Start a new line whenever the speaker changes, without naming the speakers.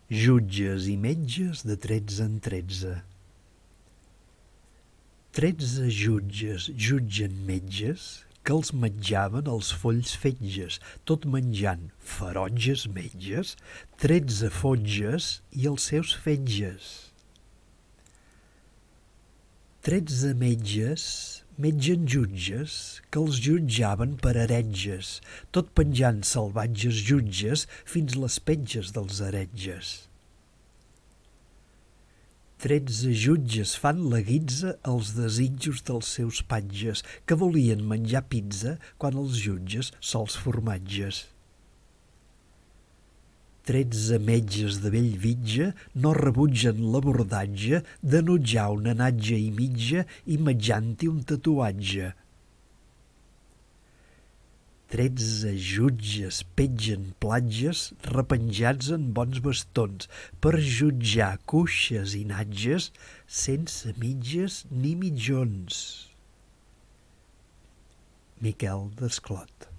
Jutges i metges de 13 en 13. 13 jutges jutgen metges que els menjaven els folls fetges, tot menjant ferotges metges, 13 fotges i els seus fetges. 13 metges metgen jutges que els jutjaven per heretges, tot penjant salvatges jutges fins les petges dels heretges. 13 jutges fan la guitza als desitjos dels seus patges, que volien menjar pizza quan els jutges sols formatges. 13 metges de Bellvitge no rebutgen l'abordatge d'enutjar una natja i mitja i metjant-hi un tatuatge. 13 jutges petgen platges repenjats en bons bastons per jutjar cuixes i natges sense mitges ni mitjons. Miquel Desclot.